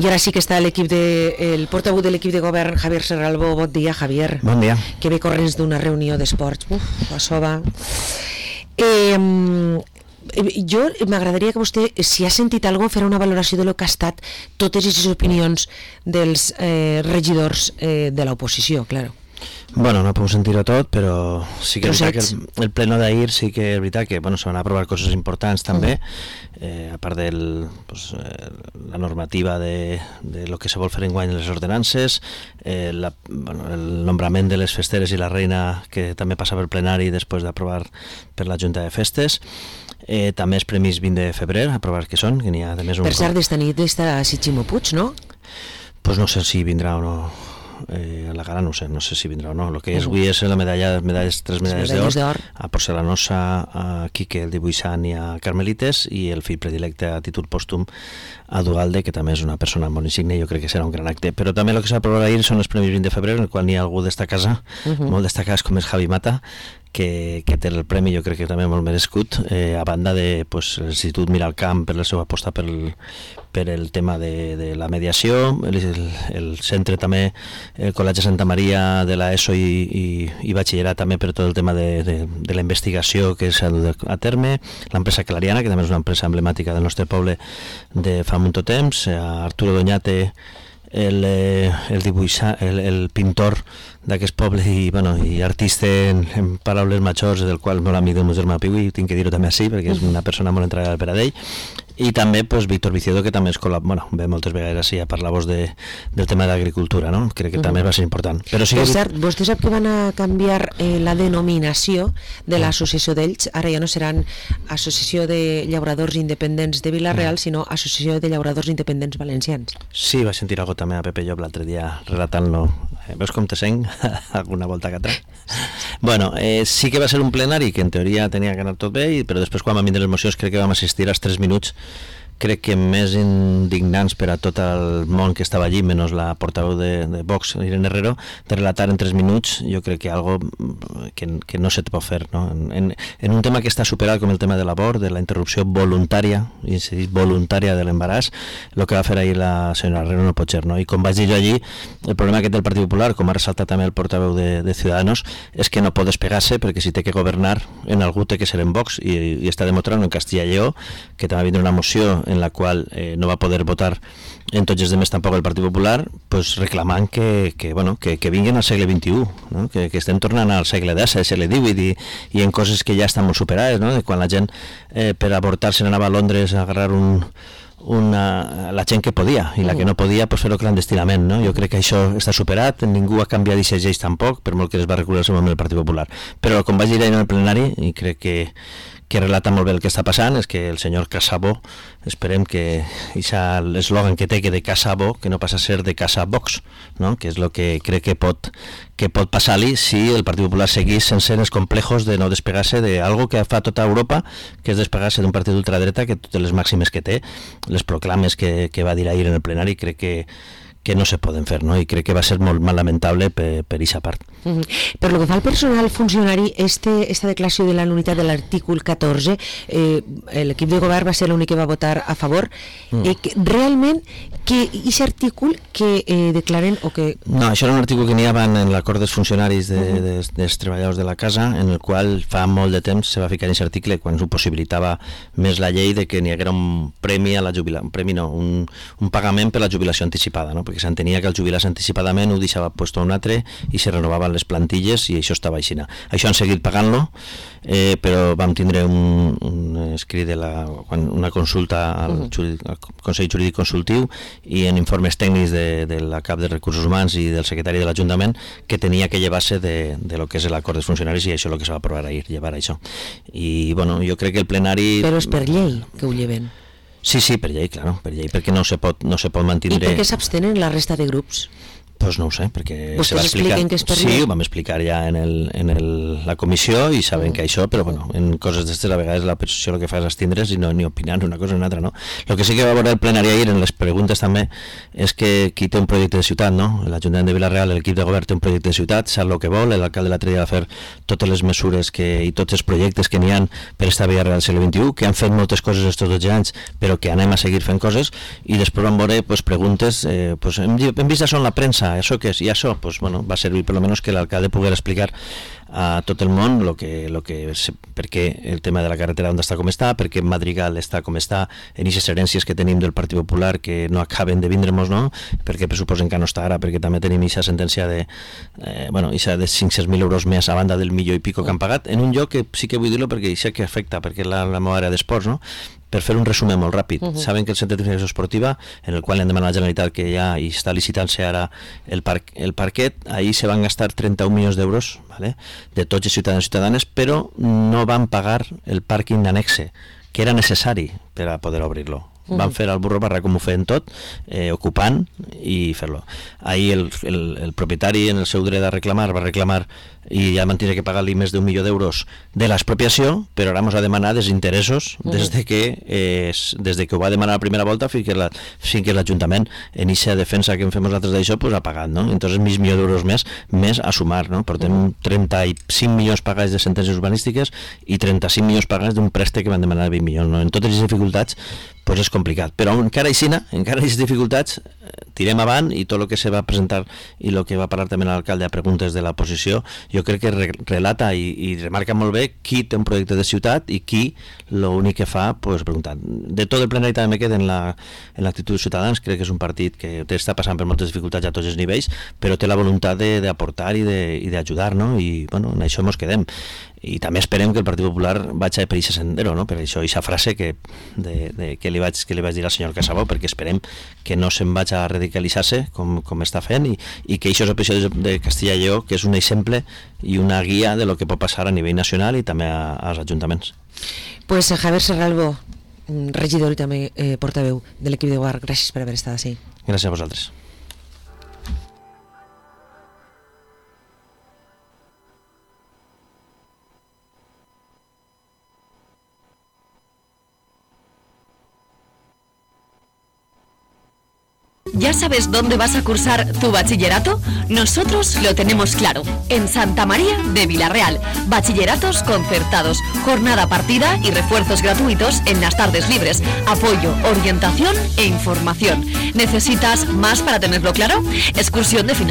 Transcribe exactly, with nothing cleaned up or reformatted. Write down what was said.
I ara sí que està l'equip de, el portaveu de l'equip de govern, Javier Serralbo. Bon dia, Javier. Bon dia. Que ve corrents d'una reunió d'esports. Uf, això va. Eh, jo m'agradaria que vostè, si ha sentit alguna cosa, farà una valoració de lo que ha estat totes aquestes opinions dels eh, regidors eh, de l'oposició, claro. Bueno, no puc sentir-ho tot, però sí que és veritat que el, el pleno d'ahir sí que és veritat que bueno, se van aprovar coses importants també, uh-huh. eh, a part de pues, eh, la normativa de, de lo que se vol fer enguany en les ordenances, eh, la, bueno, el nombrament de les festeres i la reina que també passa per plenari després d'aprovar per la Junta de Festes. Eh, també els premis vint de febrer, aprovar que són, que n'hi ha també un... Per cert, d'esta nit està Ximo Puig, no? Pues no sé si vindrà o no. Eh, a la gala no sé, no sé si vindrà o no. El que és avui és la medalla, medalles, tres medalles d'or a Porcelanosa, a Quique el dibuixant i a Carmelites, i el fill predilecte a títol pòstum a Dualde, que també és una persona molt insigne, jo crec que serà un gran acte. Però també el que s'ha aprovat ahir són els premis vint de febrer, en el qual n'hi ha algú d'esta casa, uh-huh. molt destacats, com és Javi Mata, que, que té el premi, jo crec que també molt merescut, eh, a banda de pues, l'Institut Miralcamp per la seva aposta per el, per el tema de, de la mediació, el, el, el centre també, el Col·legi Santa Maria de la ESO i, i, i batxillerat també per tot el tema de, de, de la investigació que s'ha dut a terme, l'empresa Clariana, que també és una empresa emblemàtica del nostre poble de fa molt temps, a Arturo Doñate, el, el, dibuixa, el, el pintor d'aquest poble i, bueno, i artista en, en paraules majors, del qual molt amic del meu germà Piu, i tinc que dir-ho també així perquè és una persona molt entregada per a ell. I també pues, Víctor Viciodo, que també es col·lab... bueno, ve moltes vegades així a parlar-vos de, del tema de l'agricultura, no? Crec que uh-huh. també va ser important. Però sí que... Per cert, vostè sap que van a canviar eh, la denominació de l'associació d'ells, ara ja no seran Associació de Llauradors Independents de Vila-real, uh-huh. sinó Associació de Llauradors Independents Valencians. Sí, va sentir algo també a Pepe Llop l'altre dia relatant-lo. Eh, veus com te sent? Alguna volta que altra? Bueno, eh, sí que va ser un plenari que en teoria tenia que anar tot bé, però després quan vam vindre les mocions crec que vam assistir als tres minuts crec que més indignants per a tot el món que estava allí, menys la portaveu de, de Vox, Irene Herrero, de relatar en tres minuts, jo crec que algo que, que no se pot fer, no? En, en un tema que està superat com el tema de l'abort, de la interrupció voluntària, i se diu voluntària de l'embaràs, el que va fer ahir la senyora Herrero no pot ser, no? I com vaig dir jo allí, el problema aquest del Partit Popular, com ha ressaltat també el portaveu de, de Ciudadanos, és que no pot despegar-se perquè si té que governar en algú té que ser en Vox, i, i està demostrant en Castilla i Lleó, que també va vindre una moció en la qual eh, no va poder votar en tots els demés tampoc el Partit Popular, pues reclamant que, que, bueno, que, que vinguin al segle vint-i-u, no? que, que estem tornant al segle deu, al segle divuit, i, i en coses que ja estan molt superades, no? De quan la gent eh, per avortar se n'anava a Londres a agarrar un, una, la gent que podia, i la que no podia pues, fer-ho clandestinament, no? Jo crec que això està superat, ningú ha canviat aquestes lleis tampoc, per molt que es va recular el seu moment el Partit Popular. Però com vaig dir ahir en el plenari, i crec que que relata molt bé el que està passant, és que el senyor Casabó, esperem que l'eslògan que té que de Casabó, que no passa a ser de Casa Vox, no? Que és el que crec que pot, que pot passar-li si el Partit Popular seguís sense els complejos de no despegar-se d'algo que fa tota Europa, que és despegar-se d'un partit d'ultradreta que totes les màximes que té, les proclames que, que va dir ahir en el plenari, crec que que no se poden fer, no? I crec que va ser molt, molt lamentable per, per aquesta part. Uh-huh. Per lo que fa al personal funcionari, este, esta declaració de la nul·litat de l'artícul catorze, eh, l'equip de govern va ser l'únic que va votar a favor. Mm. Eh, que, realment, que aquest artícul que eh, declaren o que... No, això era un artícul que n'hi havia en l'acord dels funcionaris de, uh-huh. des, dels treballadors de la casa, en el qual fa molt de temps se va ficar en aquest article quan ho possibilitava més la llei de que n'hi haguera un premi a la jubilació, un premi no, un, un pagament per la jubilació anticipada, no? Perquè s'entenia que el jubilar anticipadament ho deixava puesto a un altre i se renovaven les plantilles i això estava així. Això han seguit pagant-lo, eh, però vam tindre un, un escrit de la, una consulta al, uh-huh. jurídic, al Consell Jurídic Consultiu i en informes tècnics de, de la cap de Recursos Humans i del secretari de l'Ajuntament que tenia que llevar-se de, de lo que és l'acord dels funcionaris, i això és el que se va aprovar ahir, llevar això. I bueno, jo crec que el plenari... Però és per llei que ho lleven. Sí, sí, per llei, claro, per llei, perquè no se pot, no se pot mantindre... I per què s'abstenen la resta de grups? Pues no ho sé, perquè Vostès se va explicar... expliquen que és per sí, llei? ho vam explicar ja en, el, en el, la comissió i saben mm. que això, però bueno, en coses d'estes a vegades la posició el que fa és abstindre's i no ni opinar una cosa ni una altra, no? El que sí que va veure el plenari ahir en les preguntes també és que qui té un projecte de ciutat, no? L'Ajuntament de Vila-real, l'equip de govern té un projecte de ciutat, sap el que vol, l'alcalde l'altre dia va fer totes les mesures que, i tots els projectes que n'hi ha per esta Vila-real al segle vint-i-u, que han fet moltes coses estos dotze anys, però que anem a seguir fent coses, i després vam veure pues, preguntes, eh, pues, hem, hem vist això en la premsa, això què és? I això pues, bueno, va servir per lo menos que l'alcalde pogués explicar a tot el món lo que, lo que, per què el tema de la carretera on està com està, per què Madrigal està com està, en aquestes herències que tenim del Partit Popular que no acaben de vindre-nos, no? Perquè pressuposen que no està ara, perquè també tenim aquesta sentència de, eh, bueno, ixa de cinc-cents mil euros més a banda del milió i pico que han pagat, en un lloc que sí que vull dir-lo perquè això que afecta, perquè és la, la meva àrea d'esports, no? Per fer un resum molt ràpid, uh-huh. Saben que el centre de tecnificació esportiva, en el qual han demanat a la Generalitat que ja hi està licitant-se ara el, parc, el parquet, ahir se van gastar trenta-un milions d'euros, ¿vale? De tots els ciutadans i ciutadanes, però no van pagar el pàrquing d'annexe, que era necessari per a poder obrir-lo. Uh-huh. Van fer el burro barra com ho feien tot, eh, ocupant i fer-lo. Ahir el, el, el propietari, en el seu dret a reclamar, va reclamar i ja van tenir que pagar-li més d'un milió d'euros de l'expropiació, però ara ens ha demanat els interessos uh-huh. des, de que, eh, des de que ho va demanar la primera volta fins que, la, fins que l'Ajuntament en aquesta defensa que en fem nosaltres d'això pues, ha pagat, no? Entonces mig milió d'euros més més a sumar, no? Portem uh-huh. trenta-cinc milions pagats de sentències urbanístiques i trenta-cinc milions pagats d'un préstec que van demanar vint milions, no? En totes les dificultats pues és complicat, però encara així, encara aquestes dificultats tirem avant i tot el que se va presentar i el que va parlar també l'alcalde a preguntes de la posició, jo crec que re relata i, i remarca molt bé qui té un projecte de ciutat i qui l'únic que fa, pues, preguntar. De tot el plenari també me queda en l'actitud la, de Ciutadans, crec que és un partit que està passant per moltes dificultats a tots els nivells, però té la voluntat d'aportar i d'ajudar, no? I bueno, en això ens quedem. I també esperem que el Partit Popular vagi per aquest sendero, no? Per això aquesta frase que, de, de, que, li vaig, que li vaig dir al senyor Casabó, perquè esperem que no se'n vagi a radicalitzar-se com, com està fent i, i que aquests episodis de Castilla i Lleó, que és un exemple i una guia de lo que pot passar a nivell nacional i també a, als ajuntaments. Pues Javier Serralbo, regidor i també eh, portaveu de l'equip de govern, gràcies per haver estat així. Gràcies a vosaltres. ¿Ya sabes dónde vas a cursar tu bachillerato? Nosotros lo tenemos claro. En Santa María de Vila-real. Bachilleratos concertados, jornada partida y refuerzos gratuitos en las tardes libres. Apoyo, orientación e información. ¿Necesitas más para tenerlo claro? Excursión de final